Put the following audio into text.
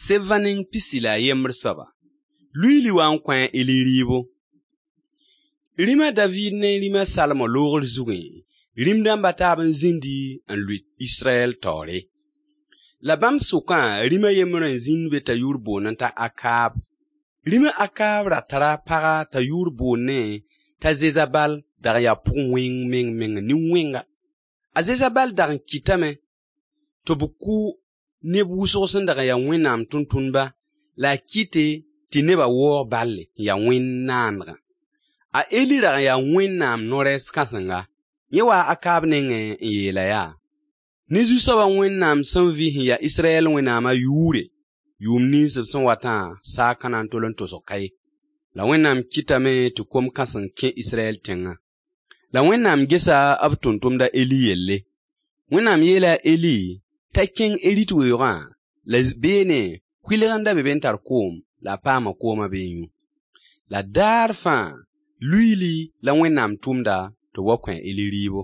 Sebva neng 11 soaba. Luiili wa n kõ a Eli rɩɩbo. Rĩm a Daviid ne rĩm a Salomo loogr zugẽ, rĩm-dãmb a taab n zĩndi n lʋɩ Israyɛl taoore. La bãmb sʋkã rĩm a yembr n zĩnd be t'a yʋʋr boondẽ t'a Akaab. Rĩm a Akaab ra tara paga t'a yʋʋr boondẽ t'a Zezabal dag n yaa pʋg-wẽng meng-mengã, nin-wẽnga. A Zezabal dag n kɩtame tɩ b kʋ neb wʋsg sẽn dag n ya Wẽnnaam tʋmtʋmdba la a kɩte tɩ nebã waoog balle n ya wẽnd naandgã. A Eli rag n yaa Wẽnnaam no-rɛɛs kãsenga. Yẽ waa Akaab nengẽ n yeel-a yaa: Ne Zu-soabã Wẽnnaam sẽn vɩ sẽn ya Israyɛl Wẽnnaamã yʋʋre, yʋʋm nins b sẽn watã saag ka na n tol n tosg ka ye. La Wẽnnaam kɩtame tɩ kom kãseng kẽ Israyɛl tẽngã. La Wẽnnaam gesa b tʋmtʋmd a Eli yelle. Wẽnnaam yeela a Eli t'a kẽng Erit weoogã la beene kʋɩlg n da be be n tar koom la a paama koomã be n yũ. La daar fãa luiili la Wẽnnaam tʋmda tɩ b wa kõ a Eli rɩɩbo.